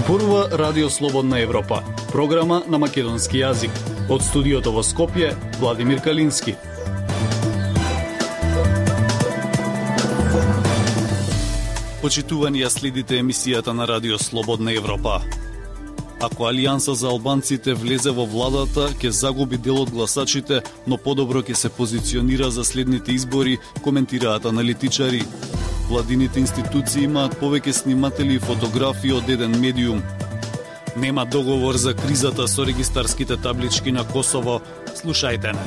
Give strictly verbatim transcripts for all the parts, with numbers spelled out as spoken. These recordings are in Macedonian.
Зборува Радио Слободна Европа, програма на македонски јазик. Од студиото во Скопје, Владимир Калински. Почитувани, ја следите емисијата на Радио Слободна Европа. Ако Алијанса за албанците влезе во владата, ќе загуби дел од гласачите, но подобро ќе се позиционира за следните избори, коментираат аналитичари. Владините институции имаат повеќе сниматели и фотографии од еден медиум. Нема договор за кризата со регистарските таблички на Косово. Слушајте не.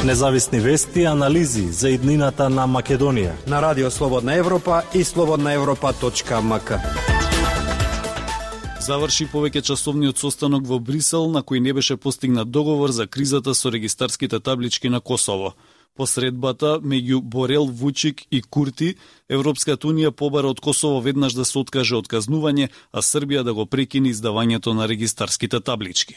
Независни вести и анализи за иднината на Македонија на Радио Слободна Европа и слободна европа точка ем ка. Заврши повеќе часовниот состанок во Брисел, на кој не беше постигнат договор за кризата со регистарските таблички на Косово. По средбата меѓу Борел, Вучик и Курти, Европската унија побара од Косово веднаш да се откаже од казнување, а Србија да го прекине издавањето на регистарските таблички.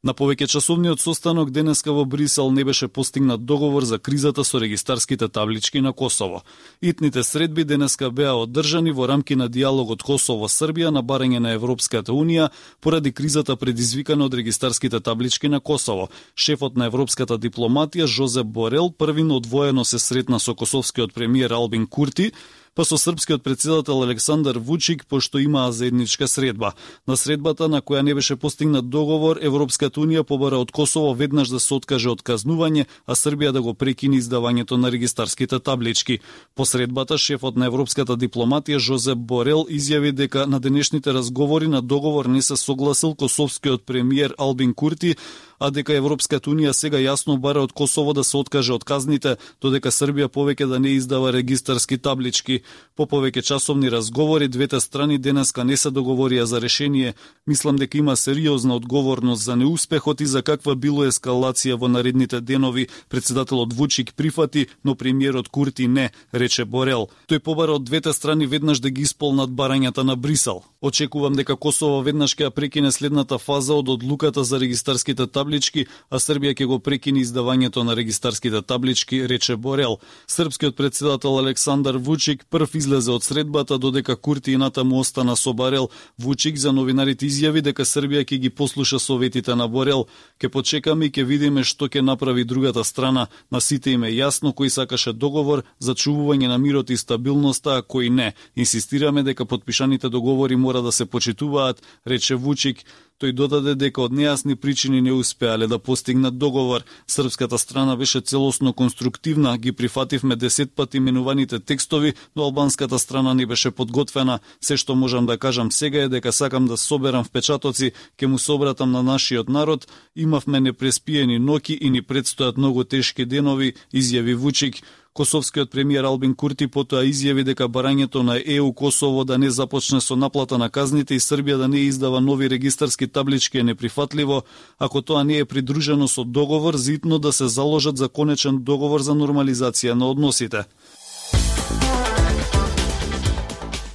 На повеќе часовниот состанок денеска во Брисел не беше постигнат договор за кризата со регистарските таблички на Косово. Итните средби денеска беа одржани во рамки на диалогот Косово-Србија на барање на Европската унија поради кризата предизвикана од регистарските таблички на Косово. Шефот на европската дипломатија Жозеп Борел првино одвоено се сретна со косовскиот премиер Албин Курти, па со српскиот претседател Александар Вучик, пошто имаа заедничка средба. На средбата на која не беше постигнат договор, Европската унија побара од Косово веднаш да се откаже од казнување, а Србија да го прекине издавањето на регистарските таблички. По средбата, шефот на европската дипломатија Жозеп Борел изјави дека на денешните разговори на договор не се согласил косовскиот премиер Албин Курти, а дека Европската унија сега јасно бара од Косово да се откаже од казните, додека Србија повеќе да не издава регистарски таблички. По повеќе часовни разговори, двете страни денеска не се договорија за решение. Мислам дека има сериозна одговорност за неуспехот и за каква било ескалација во наредните денови. Председателот Вучик прифати, но премиерот Курти не, рече Борел. Тој побара од двете страни веднаш да ги исполнат барањата на Брисел. Очекувам дека Косово веднаш ќе ја прекине следната фаза од одлуката за регистарските таблички, а Србија ќе го прекине издавањето на регистарските таблички, рече Борел. Српскиот претседател Александар Вучик прв излезе од средбата, додека Курти и натаму остана со Борел. Вучик за новинарите изјави дека Србија ќе ги послуша советите на Борел. Ке почекаме и ќе видиме што ќе направи другата страна. На сите им е јасно кој сакаше договор за чувување на мирот и стабилноста, а кој не. Инсистираме дека потпишаните договори мора да се почитуваат, рече Вучик. Тој додаде дека од нејасни причини не успеале да постигнат договор. Српската страна беше целосно конструктивна, ги прифативме десет пати менуваните текстови, но албанската страна не беше подготвена. Се што можам да кажам сега е дека сакам да соберам впечатоци, ке му се обратам на нашиот народ. Имавме непреспиени ноќи и ни предстојат многу тешки денови, изјави Вучик. Косовскиот премиер Албин Курти потоа изјави дека барањето на Е У Косово да не започне со наплата на казните и Србија да не издава нови регистарски таблички е неприфатливо, ако тоа не е придружено со договор зитно да се заложат за конечен договор за нормализација на односите.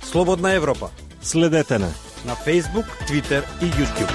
Слободна Европа. Следете не на Facebook, Twitter и YouTube.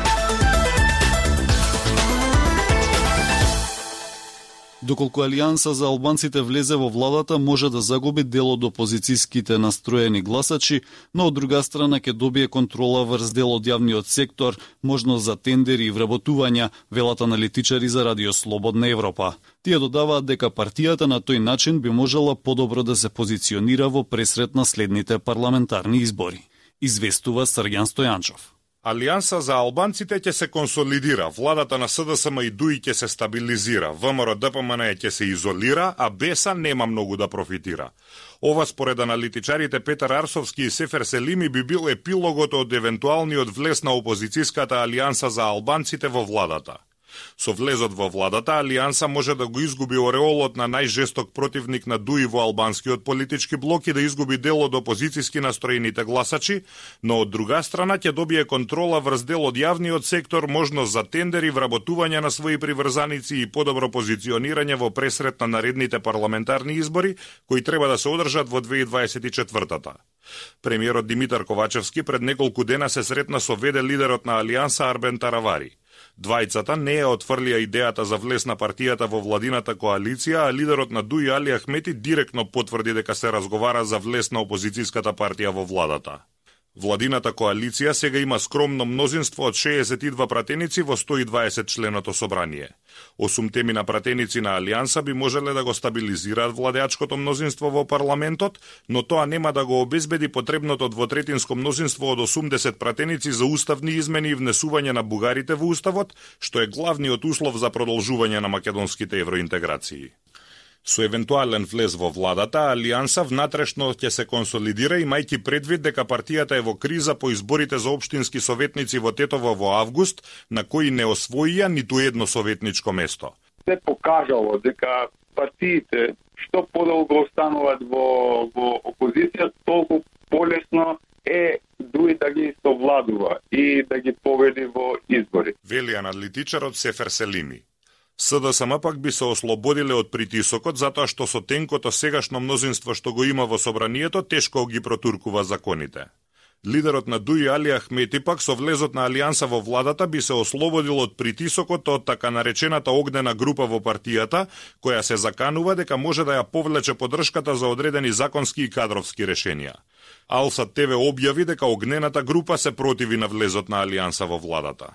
Доколку Алијанса за албанците влезе во владата, може да загуби дел од опозицијските настроени гласачи, но од друга страна ќе добие контрола врз дел од јавниот сектор, можност за тендери и вработувања, велат аналитичари за Радио Слободна Европа. Тие додаваат дека партијата на тој начин би можела подобро да се позиционира во пресрет на следните парламентарни избори. Известува Срѓан Стојанчов. Алијанса за албанците ќе се консолидира, владата на С Д С М и Д У И ќе се стабилизира, В М Р Д П М Н ќе се изолира, а Беса нема многу да профитира. Ова според аналитичарите Петар Арсовски и Сефер Селими би бил епилогот од евентуалниот влез на опозицијската алијанса за албанците во владата. Со влезот во владата, Алијанса може да го изгуби ореолот на најжесток противник на Д У И во албанскиот политички блок и да изгуби дел од опозицијски настроените гласачи, но од друга страна ќе добие контрола врз дел од јавниот сектор, можност за тендери, вработување на своји приврзаници и подобро позиционирање во пресрет на наредните парламентарни избори, кои треба да се одржат во две илјади дваесет и четвртата. Премиерот Димитар Ковачевски пред неколку дена се сретна со веде лидерот на Алијанса Арбен Таравари. Двајцата не ја отфрлија идејата за влез на партијата во владината коалиција, а лидерот на ДУИ Али Ахмети директно потврди дека се разговара за влез на опозицијската партија во владата. Владината коалиција сега има скромно мнозинство од шеесет и два пратеници во сто и дваесет членото собрание. Осум темина пратеници на Алијанса би можеле да го стабилизираат владеачкото мнозинство во парламентот, но тоа нема да го обезбеди потребното двотретинско мнозинство од осумдесет пратеници за уставни измени и внесување на бугарите во уставот, што е главниот услов за продолжување на македонските евроинтеграции. Со евентуален влез во владата, Алијанса внатрешно ќе се консолидира, имајќи предвид дека партијата е во криза по изборите за општински советници во Тетово во август, на кои не освоија ниту едно советничко место. Се покажало дека партиите што подолго остануваат во, во опозиција, толку полесно е дуи да ги совладува и да ги победи во избори. Вели аналитичарот Сефер Селими. СДСМ пак би се ослободиле од притисокот затоа што со тенкото сегашно мнозинство што го има во собранието тешко ги протуркува законите. Лидерот на ДУИ Али Ахмети пак со влезот на Алијанса во владата би се ослободил од притисокот од така наречената огнена група во партијата, која се заканува дека може да ја повлече поддршката за одредени законски и кадровски решенија. Алсат ТВ објави дека огнената група се противи на влезот на Алијанса во владата.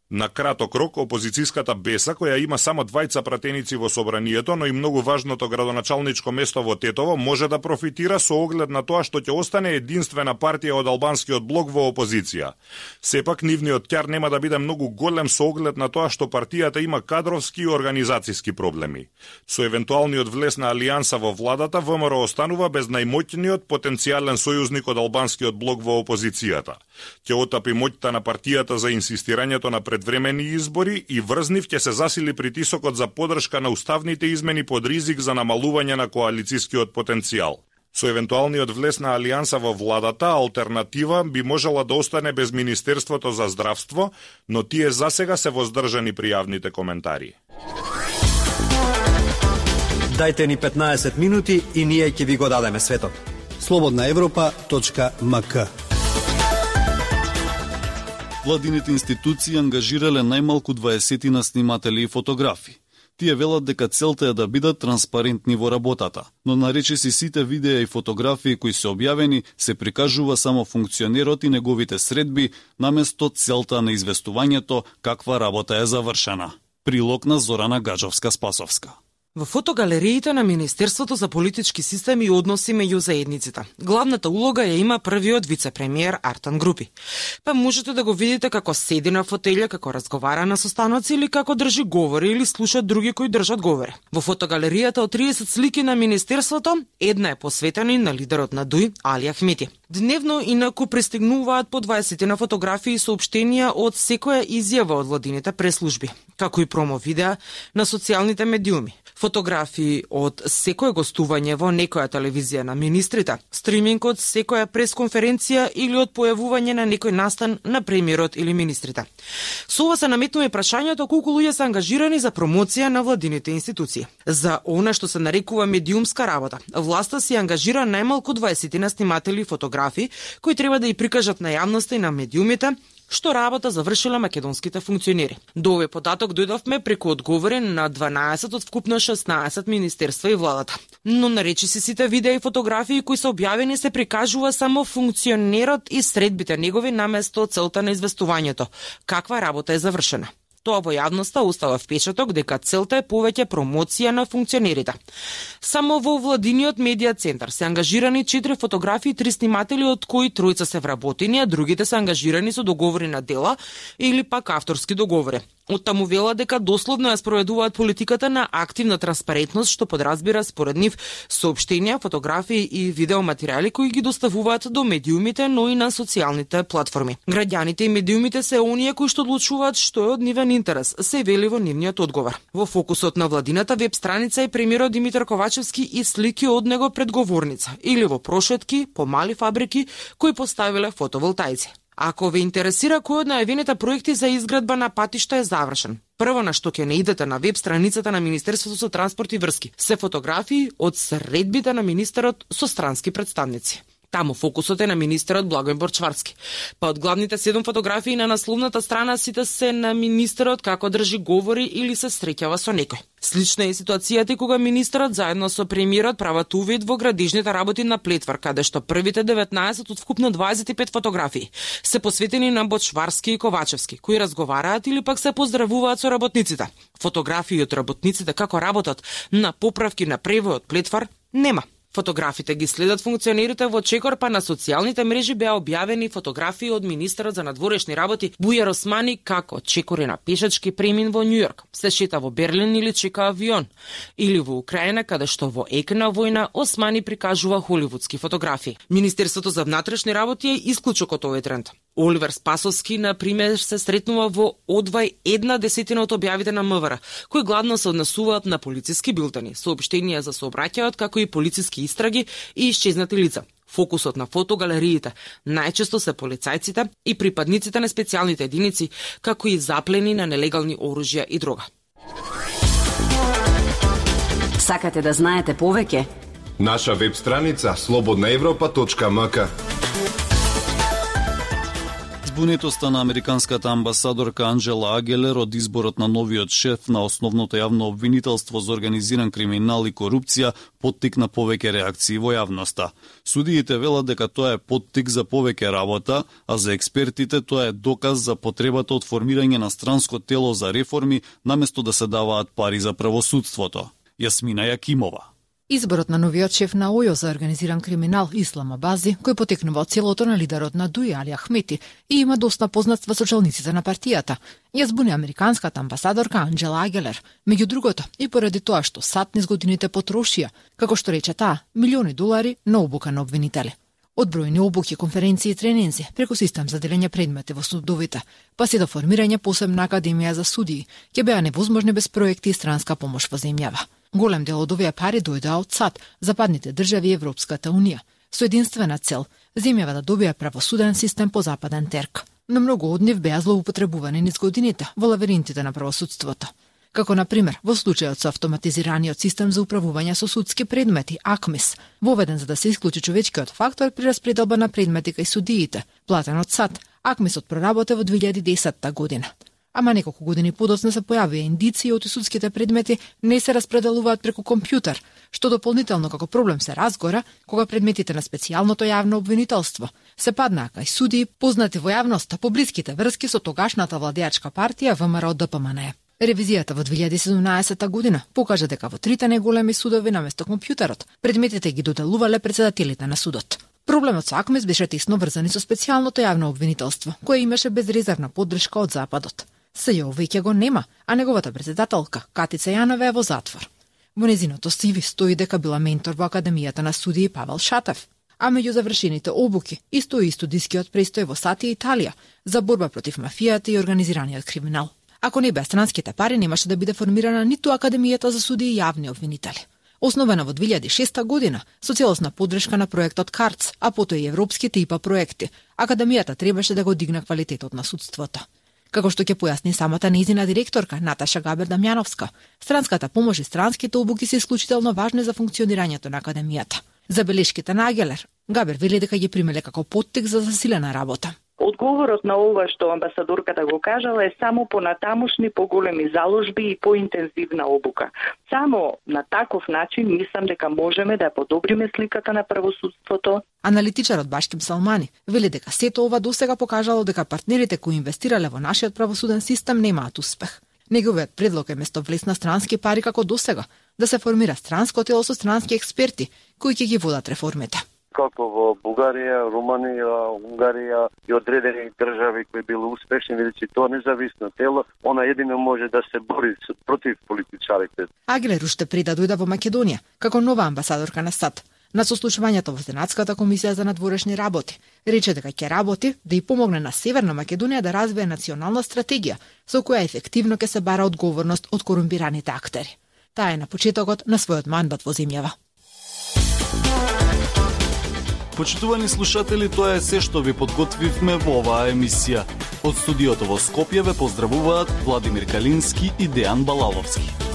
На краток рок, опозицијската Беса, која има само двајца пратеници во собранието, но и многу важното градоначалничко место во Тетово, може да профитира со оглед на тоа што ќе остане единствена партија од албанскиот блок во опозиција. Сепак, нивниот ќар нема да биде многу голем со оглед на тоа што партијата има кадровски и организацијски проблеми. Со евентуалниот влез на Алијанса во владата, ВМРО останува без најмоќниот потенцијален сојузник од албанскиот блок во опозицијата. Ќе отапи моќта на партијата за инсистирањето на предвремени избори и врз нив ќе се засили притисокот за поддршка на уставните измени под ризик за намалување на коалицијскиот потенцијал. Со евентуалниот влез на Алијанса во владата, алтернатива би можела да остане без Министерството за здравство, но тие засега се воздржани при јавните коментари. Дајте ни петнаесет минути и ние ќе ви го дадеме светот. слободна европа точка ем ка. Владините институции ангажирале најмалку дваесет сниматели и фотографи. Тие велат дека целта е да бидат транспарентни во работата, но наречиси сите видеа и фотографии кои се објавени се прикажува само функционерот и неговите средби, наместо целта на известувањето каква работа е завршена. Прилог на Зорана Гаджовска-Спасовска. Во фотогалериите на Министерството за политички системи и односи меѓу заедниците, главната улога ја има првиот вице-премиер Артан Групи. Па можете да го видите како седи на фотелја, како разговара на состаноци или како држи говори или слуша други кои држат говори. Во фотогалеријата од триесет слики на Министерството, една е посветена на лидерот на ДУИ Али Ахмети. Дневно инаку пристигнуваат по дваесет на фотографии и соопштенија од секоја изјава од владините преслужби, како и промо видеа на социјалните медиуми. Фотографии од секое гостување во некоја телевизија на министрите, стриминг од секоја пресконференција или од појавување на некој настан на премиерот или министрите. Со ова се наметнува прашањето колку луѓе се ангажирани за промоција на владините институции. За она што се нарекува медиумска работа, власта си ангажира најмалку дваесет на сниматели и фотографи кои треба да ја прикажат на јавноста и на медиумите што работа завршила македонските функционери. До овој податок дојдовме преку одговори на дванаесет од вкупно шеснаесет министерства и владата. Но наречиси сите видеа и фотографии кои се објавени се прикажува само функционерот и средбите негови наместо целта на известувањето. Каква работа е завршена? Тоа во јавноста остава впечаток дека целта е повеќе промоција на функционерите. Само во владиниот медија центар се ангажирани четири фотографии и три сниматели, од кои тројца се вработени, а другите се ангажирани со договори на дела или пак авторски договори. Од таму вела дека дословно ја спроведуваат политиката на активна транспарентност, што подразбира според нив соопштенија, фотографии и видеоматеријали кои ги доставуваат до медиумите, но и на социјалните платформи. Граѓаните и медиумите се оние кои што одлучуваат што е од нивен интерес, се вели во нивниот одговор. Во фокусот на владината веб страница е премиерот Димитар Ковачевски и слики од него пред говорница или во прошетки по мали фабрики кои поставиле фотоволтаици. Ако ве интересира кој од најавените проекти за изградба на патишта е завршен, прво на што ќе не идете на веб страницата на Министерството за транспорт и врски, се фотографии од средбите на министерот со странски представници. Таму фокусот е на министерот Благојбор Чварски. Па од главните седум фотографии на насловната страна сите се на министерот како држи говори или се среќава со некој. Слична е ситуацијата и кога министерот заедно со премиерот прават увид во градежните работи на Плетвар, каде што првите деветнаесет од вкупно дваесет и пет фотографии се посветени на Бочварски и Ковачевски, кои разговараат или пак се поздравуваат со работниците. Фотографии од работниците како работат на поправки на превојот Плетвар нема. Фотографите ги следат функционерите во Чекор, па на социјалните мрежи беа објавени фотографии од министерот за надворешни работи Бујар Османи како Чекор е на пешачки премин во Њујорк, се шета во Берлин или чека авион, или во Украина каде што во ек на војна Османи прикажува холивудски фотографии. Министерството за внатрешни работи е исклучок од овој тренд. Оливер Спасовски, на пример, се сретнува во одвај една десетина од објавите на МВР, кои гладно се однесуваат на полициски билтени, соопштенија за сообраќајот, како и полициски истраги и исчезнати лица. Фокусот на фотогалериите најчесто се полицајците и припадниците на специјалните единици, како и заплени на нелегални оружја и дрога. Сакате да знаете повеќе? Наша веб страница слободна европа точка ем ка. Збунетоста на американската амбасадорка Анджела Агелер од изборот на новиот шеф на основното јавно обвинителство за организиран криминал и корупција поттикна повеќе реакции во јавноста. Судиите велат дека тоа е поттик за повеќе работа, а за експертите тоа е доказ за потребата од формирање на странско тело за реформи наместо да се даваат пари за правосудството. Јасмина Јакимова. Изборот на новиот шеф на ОЈО за организиран криминал Ислам Абази, кој потекнува од селото на лидерот на Дуј Али Ахмети и има доста познатства со челниците на партијата, ја збуни американската амбасадорка Анджела Агелер, меѓу другото и поради тоа што САД низ годините потрошија, како што рече таа, милиони долари на обука на обвинители. Од бројни обуки, конференции и тренинзи, преку систем за делење предмети во судовите, па се до формирање посебна академија за судии, ќе беа невозможни без проекти и странска помош во земјава. Голем дел од овие пари дојдоа од САД, западните држави и Европската унија, со единствена цел земјава да добија правосуден систем по западен терк. Но многу од нив беа злоупотребувани низ годините во лавиринтите на правосудството. Како на пример во случајот со автоматизираниот систем за управување со судски предмети АКМИС, воведен за да се исклучи човечкиот фактор при распределба на предмети кај судиите, платен од САД. АКМИСот проработе во две илјади и десетта година. Ама неколку години подоцна се појавија индиции од судските предмети не се распределуваат преку компјутер, што дополнително како проблем се разгора кога предметите на специјалното јавно обвинителство се паднаа кај судии познати во јавноста по блиските врски со тогашната владеачка партија ВМРО Д П М Н. Ревизијата во две илјади и седумнаесетта година покажа дека во трите најголеми судови наместо компјутерот предметите ги доделувале председателите на судот. Проблемот со АКМИС беше тесно врзан и со специјалното јавно обвинителство, кое имаше безрезервна поддршка од Западот. С Ј O веќе го нема, а неговата председателка, Катица Јанова, е во затвор. Во незиното си ви стои дека била ментор во Академијата на судии Павел Шатев, а меѓу завршените обуки и стои и студискиот престој во САД и Италија за борба против мафијата и организираниот криминал. Ако не беа странските пари, немаше да биде формирана ниту Академијата за судии и јавни обвинители. Основена во две илјади и шеста година со целосна поддршка на проектот КАРЦ, а потоа и европските ИПА проекти, Академијата требаше да го дигне квалитетот на судството. Како што ќе појасни самата нејзина директорка Наташа Габер Дамјановска, странската помош и странските обуки се исклучително важни за функционирањето на Академијата. Забелешките на Агелер, Габер вели дека ги примеле како поттик за засилена работа. Одговорот на ова што амбасадорката го кажала е само понатамошни поголеми заложби и поинтензивна обука. Само на таков начин мислам дека можеме да подобриме сликата на правосудството. Аналитичарот Башким Салмани вели дека сето ова досега покажало дека партнерите кои инвестирале во нашиот правосуден систем немаат успех. Неговиот предлог е место влезна странски пари како досега, да се формира странско тело со странски експерти кои ќе ги водат реформите. Како во Бугарија, Руманија, Унгарија и одредени држави кои биле успешни, видите тоа независно тело, она едино може да се бори против политичарите. Агелер уште пред да дојде во Македонија, како нова амбасадорка на САД, на сослушувањето во Сенатската комисија за надворешни работи, рече дека ќе работи да и помогне на Северна Македонија да развие национална стратегија со која ефективно ќе се бара одговорност од корумпираните актери. Таа е на почетокот на својот мандат во земјава. Почитувани слушатели, тоа е се што ви подготвивме во оваа емисија. Од студиото во Скопје ве поздравуваат Владимир Калински и Дејан Балаловски.